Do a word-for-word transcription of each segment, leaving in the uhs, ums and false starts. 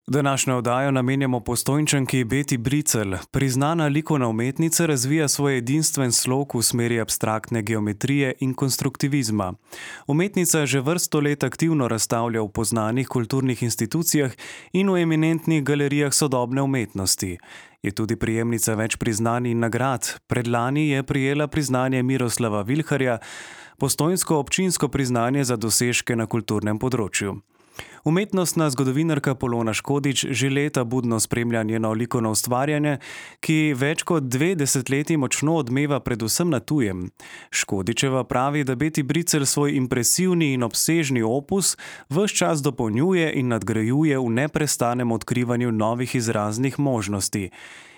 Današnjo oddajo namenjamo Postojnčanki Beti Bricelj. Priznana likovna umetnica razvija svoj edinstven slog v smeri abstraktne geometrije in konstruktivizma. Umetnica že vrsto let aktivno razstavlja v poznanih kulturnih institucijah in v eminentnih galerijah sodobne umetnosti. Je tudi prejemnica več priznanj in nagrad. Predlani je prejela priznanje Miroslava Vilharja, postojnsko občinsko priznanje za dosežke na kulturnem področju. Umetnostna zgodovinarka Polona Škodič že leta budno spremlja njeno likovno ustvarjanje, ki več kot dve desetletji močno odmeva predvsem na tujem. Škodičeva pravi, da Beti Bricelj svoj impresivni in obsežni opus ves čas dopolnjuje in nadgrajuje v neprestanem odkrivanju novih izraznih možnosti.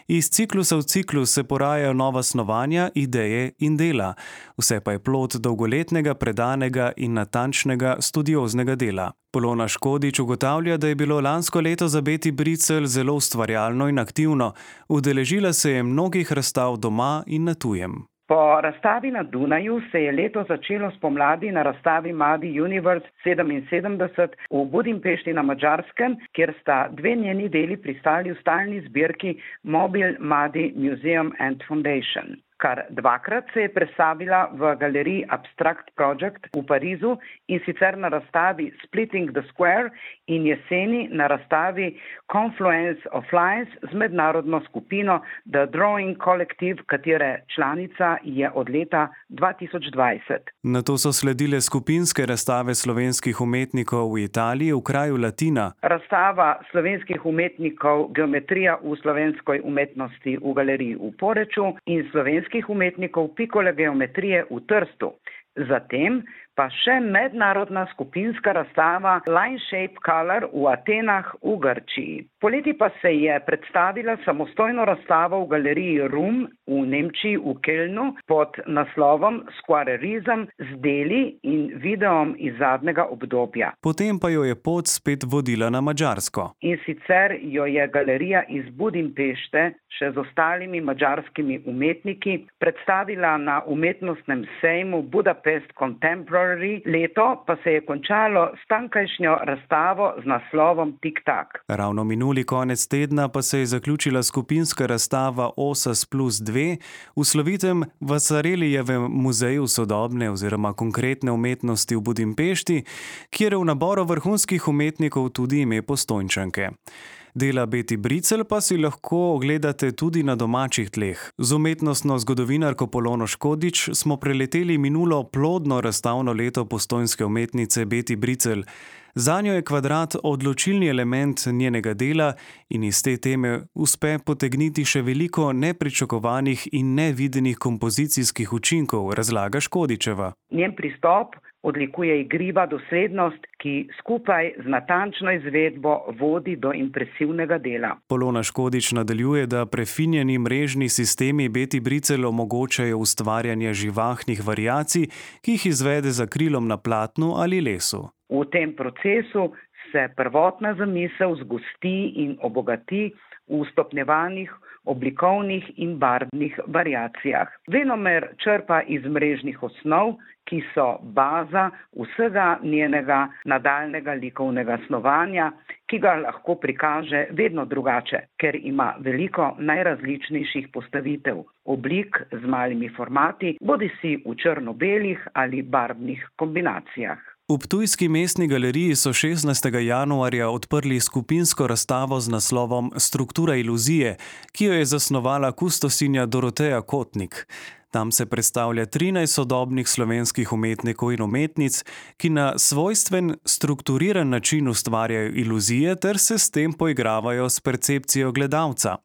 Iz ciklusa v ciklus se porajajo nova snovanja, ideje in dela. Vse pa je plod dolgoletnega, predanega in natančnega studioznega dela. Polona Škodič ugotavlja, da je bilo lansko leto za Beti Bricelj zelo ustvarjalno in aktivno. Udeležila se je mnogih razstav doma in na tujem. Po razstavi na Dunaju se je leto začelo spomladi na razstavi Madi Universe sedeminsedemdeset v Budimpešti na Madžarskem, kjer sta dve njeni deli pristali v stalni zbirki Mobile Madi Museum and Foundation. Kar dvakrat se je predstavila v galeriji Abstract Project v Parizu, in sicer na razstavi Splitting the Square in jeseni na razstavi Confluence of Lines z mednarodno skupino The Drawing Collective, katere članica je od leta dva tisoč dvajset. Nato so sledile skupinske razstave slovenskih umetnikov v Italiji v kraju Latina. Razstava slovenskih umetnikov Geometrija v slovenskoj umetnosti v galeriji v Poreču in slovenskih umetnikov pikole geometrije v Trstu. Zatem pa še mednarodna skupinska razstava Line Shape Color v Atenah v Grčiji. Poleti pa se je predstavila samostojno razstavo v galeriji Rum v Nemčiji v Kölnu pod naslovom Squarerism z deli in videom iz zadnjega obdobja. Potem pa jo je pot spet vodila na Madžarsko. In sicer jo je galerija iz Budimpešte še z ostalimi madžarskimi umetniki predstavila na umetnostnem sejmu Budapest Contemporary, leto pa se je končalo s tamkajšnjo razstavo z naslovom Tik-tak. Ravno minuli konec tedna pa se je zaključila skupinska razstava Osas plus dve v slovitem Vasarelijevem muzeju sodobne oziroma konkretne umetnosti v Budimpešti, kjer je v naboru vrhunskih umetnikov tudi ime Postojnčanke. Dela Beti Bricelj pa si lahko ogledate tudi na domačih tleh. Z umetnostno zgodovinarko Polono Škodič smo preleteli minulo plodno razstavno leto postojnske umetnice Beti Bricelj. Zanjo je kvadrat odločilni element njenega dela in iz te teme uspe potegniti še veliko nepričakovanih in nevidenih kompozicijskih učinkov, razlaga Škodičeva. Njen pristop odlikuje igriva doslednost, ki skupaj z natančno izvedbo vodi do impresivnega dela. Polona Škodič nadaljuje, da prefinjeni mrežni sistemi Beti Bricelj omogočajo ustvarjanje živahnih variacij, ki jih izvede za krilom na platnu ali lesu. V tem procesu se prvotna zamisel zgosti in obogati v stopnjevanih oblikovnih in barvnih variacijah. Venomer črpa iz mrežnih osnov, ki so baza vsega njenega nadaljnega likovnega snovanja, ki ga lahko prikaže vedno drugače, ker ima veliko najrazličnejših postavitev, oblik z malimi formati, bodisi v črno-belih ali barvnih kombinacijah. V ptujski mestni galeriji so šestnajstega januarja odprli skupinsko razstavo z naslovom Struktura iluzije, ki jo je zasnovala kustosinja Doroteja Kotnik. Tam se predstavlja trinajst sodobnih slovenskih umetnikov in umetnic, ki na svojstven, strukturiran način ustvarjajo iluzije ter se s tem poigravajo s percepcijo gledalca.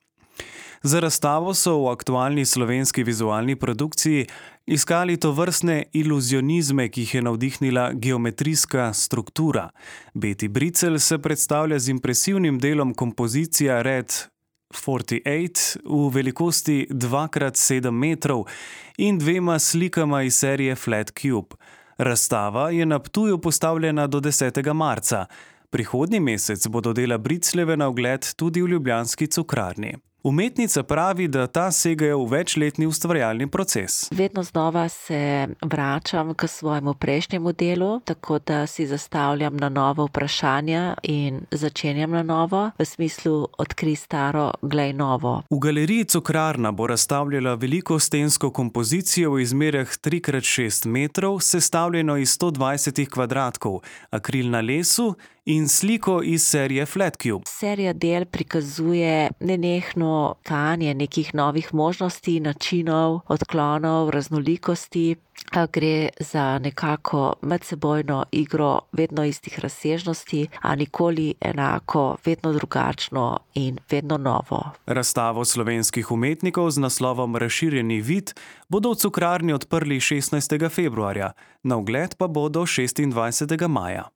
Za razstavo so v aktualni slovenski vizualni produkciji iskali tovrstne iluzionizme, ki jih je navdihnila geometrijska struktura. Beti Bricelj se predstavlja z impresivnim delom kompozicija Red štirideset osem v velikosti dva krat sedem metrov in dvema slikama iz serije Flat Cube. Razstava je na Ptuju postavljena do desetega marca. Prihodnji mesec bodo dela Bricljeve na ogled tudi v ljubljanski Cukrarni. Umetnica pravi, da ta segajo v večletni ustvarjalni proces. Vedno znova se vračam k svojemu prejšnjemu delu, tako da si zastavljam na novo vprašanja in začenjam na novo, v smislu odkri staro, glej novo. V galeriji Cukrarna bo razstavljala veliko stensko kompozicijo v izmerah tri krat šest metrov, sestavljeno iz sto dvajset kvadratkov, akril na lesu in sliko iz serije Flat Cube. Serija del prikazuje nenehno tkanje nekih novih možnosti, načinov, odklonov, raznolikosti. Gre za nekako medsebojno igro vedno istih razsežnosti, a nikoli enako, vedno drugačno in vedno novo. Razstavo slovenskih umetnikov z naslovom Razširjeni vid bodo v Cukrarni odprli šestnajstega februarja, na ogled pa bodo šestindvajsetega maja.